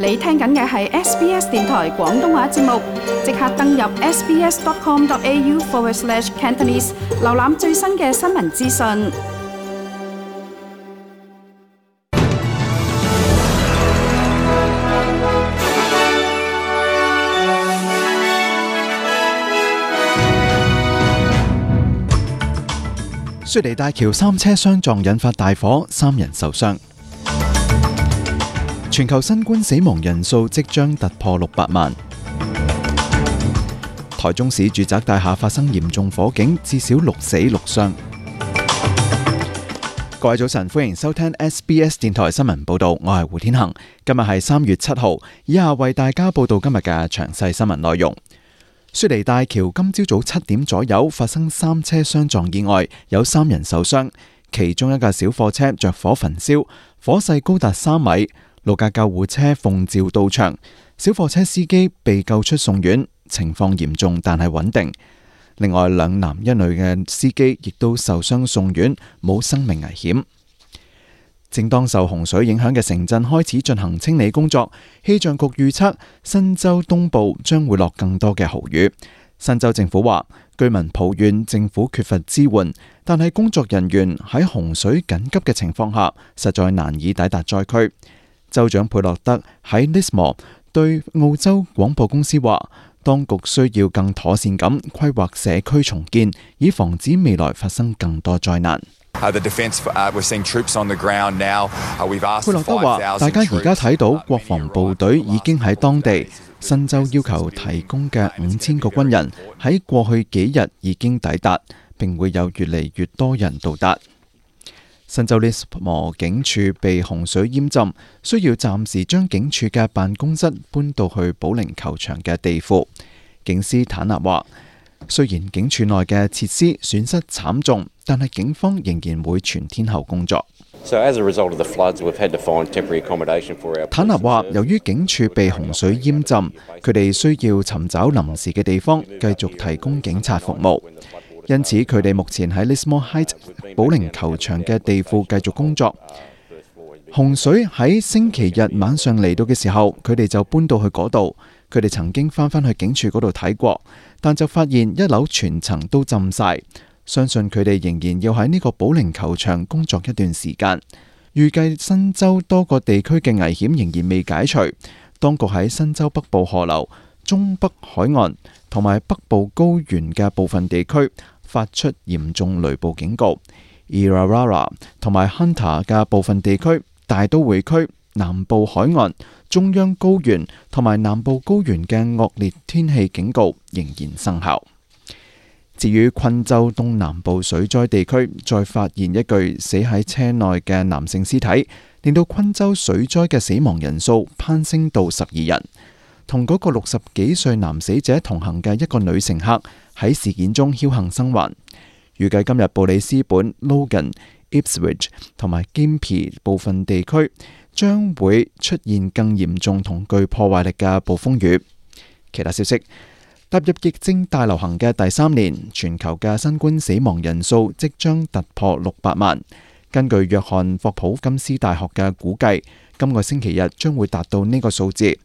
你聽緊嘅係 SBS 電台廣東話節目，即刻登入 sbs.com.au/Cantonese 瀏覽最新嘅新聞資訊。雪梨大橋3車相撞引發大火，3人受傷。全球新冠死亡人數即將突破600萬。台中市住宅大廈發生嚴重火警，至少6死6傷。各位早晨，歡迎收聽 SBS 電台新聞報道，我係胡天恒。今日係3月7號，以下為大家報道今日嘅詳細新聞內容。雪梨大橋今朝早7點左右發生3車相撞意外，有3人受傷，其中一架小貨車着火焚燒，火勢高達3米。6架救護車奉召到場，小貨車司機被救出送院，情況嚴重但係穩定。另外2男1女嘅司機亦都受傷送院，冇生命危險。正當受洪水影響嘅城鎮開始進行清理工作，氣象局預測新州東部將會落更多嘅豪雨。新州政府話，居民抱怨政府缺乏支援，但係工作人員喺洪水緊急嘅情況下，實在難以抵達災區。州長佩洛德喺 Lismore 對澳洲廣播公司話，當局需要更妥善咁規劃社區重建，以防止未來發生更多災難。佩洛德話，大家而家睇到國防部隊已經喺當地，新州要求提供嘅5000個軍人喺過去幾日已經抵達，並會有越嚟越多人到達。新州 Lismore 警署被洪水淹浸，需要暫時將警署嘅辦公室搬到去保齡球場嘅地庫。警司坦納話，雖然警署內嘅設施損失慘重，但係警方仍然會全天候工作。坦納話，由於警署被洪水淹浸，佢哋需要尋找臨時嘅地方繼續提供警察服務。因此，佢哋目前喺 Lismore Heights 保齡球場嘅地庫繼續工作。洪水喺星期日晚上嚟到嘅時候，佢哋就搬到去嗰度。佢哋曾經翻返去警署嗰度睇過，但就發現1樓全層都浸晒。相信佢哋仍然要喺呢個保齡球場工作一段時間。預計新州多個地區嘅危險仍然未解除。當局喺新州北部河流、中北海岸同埋北部高原嘅部分地區發出嚴重雷暴警告。Irrawarra 同埋 Hunter 嘅部分地區、大都會區、南部海岸、中央高原同埋南部高原嘅惡劣天氣警告仍然生效。至於昆州東南部水災地區，再發現一具死喺車內嘅男性屍體，令到昆州水災嘅死亡人數攀升到12人。同嗰個60幾歲男死者同行嘅一個女乘客喺事件中僥倖生還。預計今日布里斯本、Logan、Ipswich 同埋 Gympie 部分地區將會出現更嚴重同具破壞力嘅暴風雨。其他消息，踏入疫症大流行嘅第3年，全球嘅新冠死亡人數即將突破600萬。根據約翰霍普金斯大學嘅估計，今個星期日將會達到呢個數字。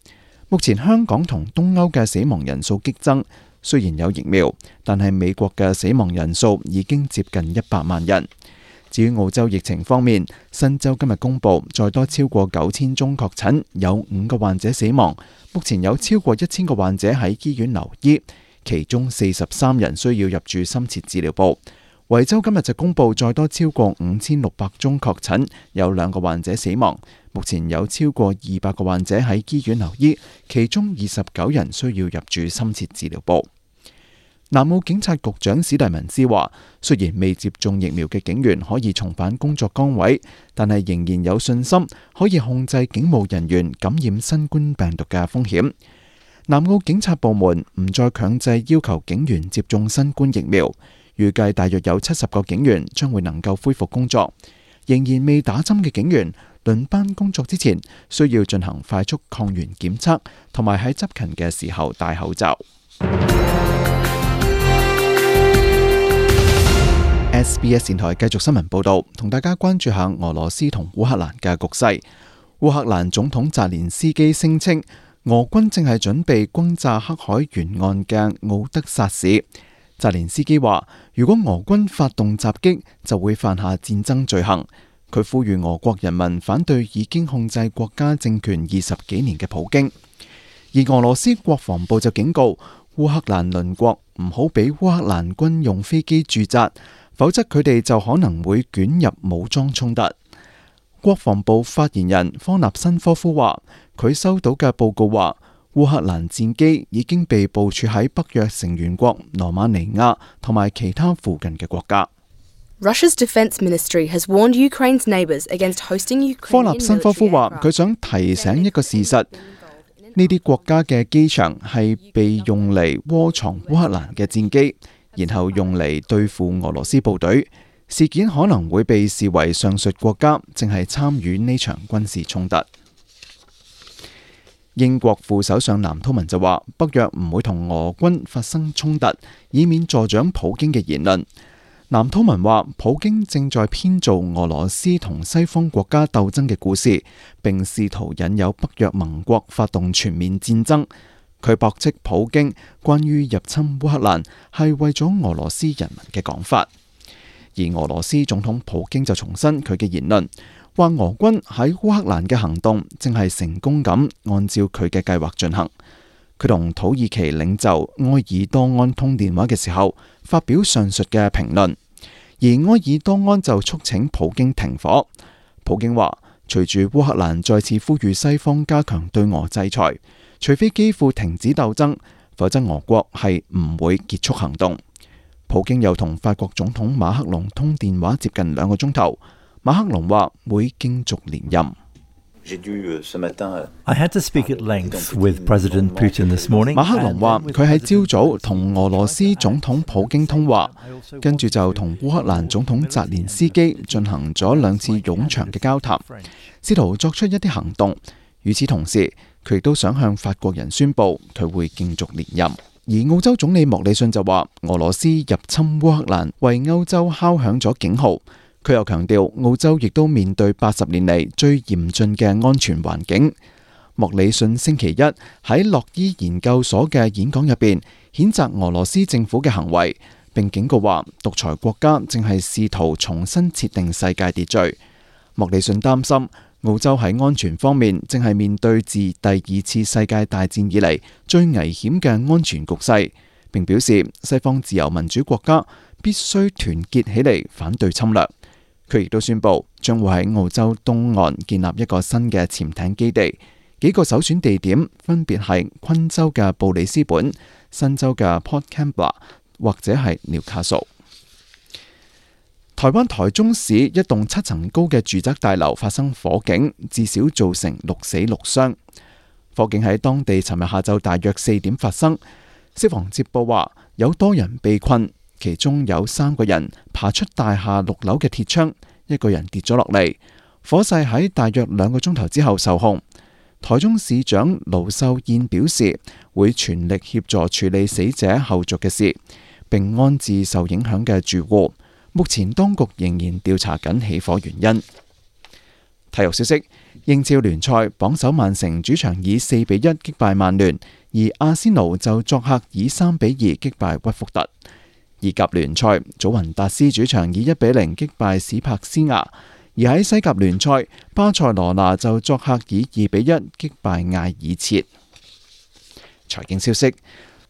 目前香港同東歐嘅死亡人數激增，雖然有疫苗，但係美國嘅死亡人數已經接近100萬人。至於澳洲疫情方面，新州今日公布再多超過9000宗確診，有5個患者死亡。目前有超過1000個患者喺醫院留醫，其中43人需要入住深切治療部。維州今日就公布再多超過5600宗確診，有2個患者死亡。目前有超過200個患者喺醫院留醫，其中29人需要入住深切治療部。南澳警察局長史蒂文斯話，雖然未接種疫苗嘅警員可以重返工作崗位，但係仍然有信心可以控制警務人員感染新冠病毒嘅風險。南澳警察部門唔再強制要求警員接種新冠疫苗，預計大約有70個警員將會能夠恢復工作。仍然未打針嘅警員輪班工作之前，需要進行快速抗原檢測，同埋喺執勤嘅時候戴口罩。SBS 電台繼續新聞報道，同大家關注下俄羅斯同烏克蘭嘅局勢。烏克蘭總統澤連斯基聲稱，俄軍正係準備轟炸黑海沿岸嘅敖德薩市。澤連斯基話，如果俄軍發動襲擊，就會犯下戰爭罪行。佢呼籲俄國人民反對已經控制國家政權20幾年嘅普京。而俄羅斯國防部就警告烏克蘭鄰國唔好俾烏克蘭軍用飛機駐紮，否則佢哋就可能會捲入武裝衝突。國防部發言人科納申科夫話，佢收到嘅報告話，烏克蘭戰機已經被部署喺北約成員國羅馬尼亞同埋其他附近嘅國家。Russia's defense ministry has warned Ukraine's neighbors against hosting Ukrainian military aircraft。科納申科夫話，佢想提醒一個事實，呢啲國家嘅機場係被用嚟窩藏烏克蘭嘅戰機，然後用嚟對付俄羅斯部隊。事件可能會被視為上述國家正係參與呢場軍事衝突。英國副首相藍韜文就話，北約唔會同俄軍發生衝突，以免助長普京嘅言論。藍韜文話，普京正在編造俄羅斯同西方國家鬥爭嘅故事，並試圖引誘北約盟國發動全面戰爭。佢駁斥普京關於入侵烏克蘭係為咗俄羅斯人民嘅講法。而俄羅斯總統普京就重申佢嘅言論，話俄軍喺烏克蘭嘅行動正係成功咁按照佢嘅計劃進行。佢同土耳其領袖埃爾多安通電話嘅時候，發表上述嘅評論，而埃爾多安就促請普京停火。普京話，隨住烏克蘭再次呼籲西方加強對俄制裁，除非基輔停止鬥爭，否則俄國係唔會結束行動。普京又同法國總統馬克龍通電話接近2個鐘頭，馬克龍話會競逐連任。I had to speak at length with President Putin this morning. 馬克龍話佢喺朝早同俄羅斯總統普京通話，跟住就同烏克蘭總統澤連斯基進行咗2次冗長嘅交談，試圖作出一啲行動。與此同時，佢亦都想向法國人宣佈佢會競逐連任。而澳洲總理莫里遜就話，俄羅斯入侵烏克蘭為歐洲敲響咗警號。佢又強調，澳洲亦都面對80年嚟最嚴峻嘅安全環境。莫里遜星期一喺洛伊研究所嘅演講入邊，譴責俄羅斯政府嘅行為，並警告話，獨裁國家正係試圖重新設定世界秩序。莫里遜擔心，澳洲喺安全方面正係面對自第2次世界大戰以嚟最危險嘅安全局勢，並表示西方自由民主國家必須團結起嚟反對侵略。佢亦都宣布將會喺澳洲東岸建立一個新嘅潛艇基地，幾個首選地點分別係昆州嘅布里斯本、新州嘅 Port Kembla 或者係紐卡素。台灣台中市一棟7層高嘅住宅大樓發生火警，至少造成6死6傷。火警喺當地尋日下晝大約4點發生，消防接報話有多人被困。其中有3個人爬出大廈6樓嘅鐵窗，1個人跌咗落嚟。火勢喺大約2個鐘頭之後受控。台中市長盧秀燕表示，會全力協助處理死者後續嘅事，並安置受影響嘅住戶。目前當局仍然調查緊起火原因。體育消息：英超聯賽榜首曼城主場以4-1擊敗曼聯，而阿仙奴就作客以3-2擊敗屈福特。意甲聯賽，祖雲達斯主場以1-0擊敗史柏斯牙；而喺西甲聯賽，巴塞羅那就作客以2-1擊敗艾爾切。財經消息：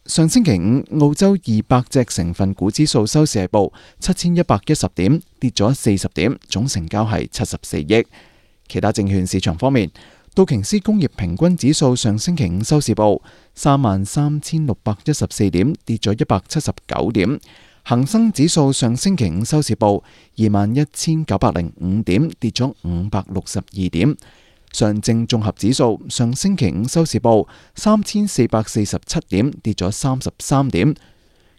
上星期五，澳洲200隻成分股指數收市係報7110點，跌咗40點，總成交係74億。其他證券市場方面，道瓊斯工業平均指數上星期五收市報33,614點，跌咗179點。恒生指數上星期五收市報21,905點，跌咗562點。上證綜合指數上星期五收市報3,447點，跌咗33點。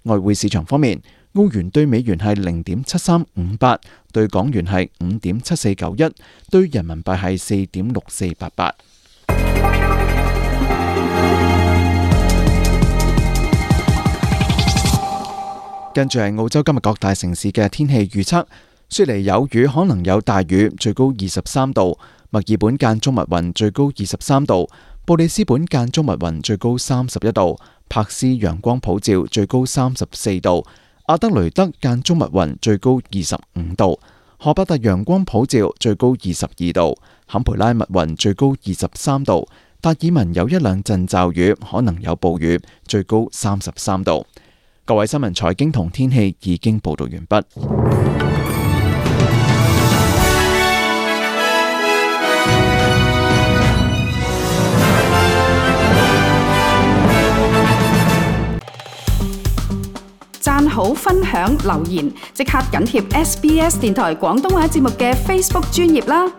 外匯市場方面，澳元對美元係0.7358，對港元係5.7491，對人民幣係4.6488。跟住係澳洲今日各大城市嘅天氣預測：雪梨有雨，可能有大雨，最高23度；墨爾本間中密雲最高23度，布里斯本間中密雲最高31度，柏斯陽光普照最高34度，阿德雷德間中密雲最高25度，荷伯特陽光普照最高22度，坎培拉密雲最高23度，達爾文有一兩陣驟雨，可能有暴雨，最高33度。各位新聞財經同天氣已經報道完畢。讚好、分享、留言，即刻緊貼SBS 電台廣東話節目嘅 Facebook 專頁啦！